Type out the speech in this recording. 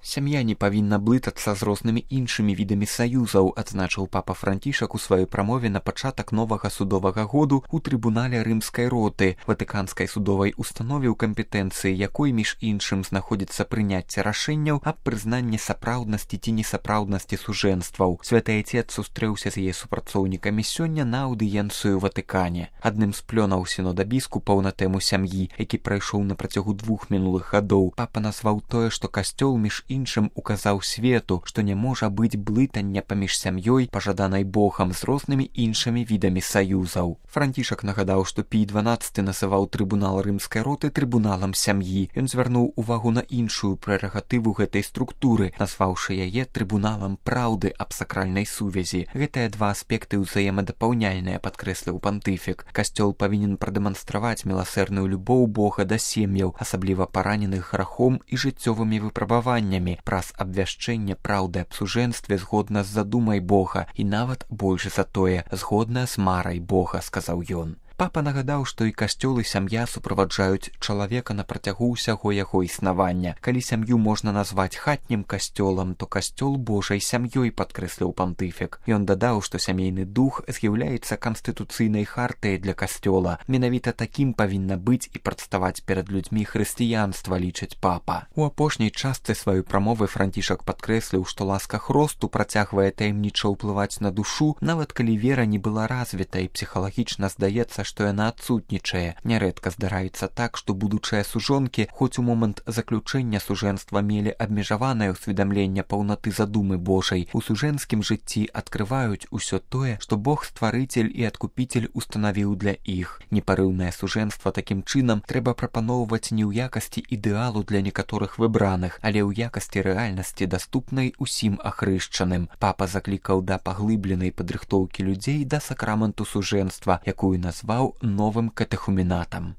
Сям'я не павінна блытацца з рознымі іншымі відамі саюзаў, адзначыў папа Францішак у сваёй прамове на пачатак новага судовага году ў трыбунале рымскай роты, ватыканскай судовай установе, у кампетэнцыі якой, між іншым, знаходзіцца прыняцце рашэнняў аб прызнанні сапраўднасці ці несапраўднасці сужэнстваў. Святы Айцец сустрэўся з яе супрацоўнікамі сёння на аўдыенцыю ў Ватыкане. Адным з плёнаў сінода біскупаў на тэму сям'і, які прайшоў на працягу 2 мінулых гадоў, папа назваў тое, што касцёл між іншым указаў свету, што не можа быць блытання паміж сям'ёй, пажаданай Богам, з рознымі іншымі відамі саюзаў. Францішак нагадаў, што Пій XII называў трыбунал рымскай роты трыбуналам сям'і. Ён звярнуў увагу на іншую прэрагатыву гэтай структуры, назваўшы яе трыбуналам праўды аб сакральнай сувязі. Гэтыя два аспекты ўзаемадапаўняльныя, падкрэсліў пантыфік. Касцёл павінен прадэманстраваць міласэрную любоў Бога да сем'яў, асабліва параненых грахом і жыццёвымі выпрабаваннямі, праз абвяшчэнне праўды аб сужэнстве згодна з задумай Бога і нават больш за тое, згодна з марай Бога, сказаў ён. Папа нагадаў, што і касцёл, і сям'я суправаджаюць чалавека на працягу ўсяго яго існавання. Калі сям'ю можна назваць хатнім касцёлам, то касцёл Божай сям'ёй, падкрэсліў пантыфік. Ён дадаў, што сямейны дух з'яўляецца канстытуцыйнай хартыяй для касцёла. Менавіта такім павінна быць і прадставаць перад людзьмі хрысціянства, лічыць папа. У апошняй частцы сваёй прамовы Францішак падкрэсліў, што ласка Хросту працягвае таямніча ўплываць на душу, нават калі вера не была развіта і псіхалагічна здаецца, што яна адсутнічае. Нярэдка здараецца так, што будучыя сужонкі, хоць у момант заключэння сужэнства мелі абмежаванае ўсведамленне паўнаты задумы Божай, у сужэнскім жыцці адкрываюць усё тое, што Бог стварыцель і адкупіцель устанавіў для іх. Непарыўнае сужэнства такім чынам трэба прапаноўваць не ў якасці ідэалу для некаторых выбраных, але ў якасці рэальнасці, даступнай усім ахрышчаным. Папа заклікаў да паглыбленай падрыхтоўкі людзей да сакраменту сужэнства, якую назваў новым катэхуменатам.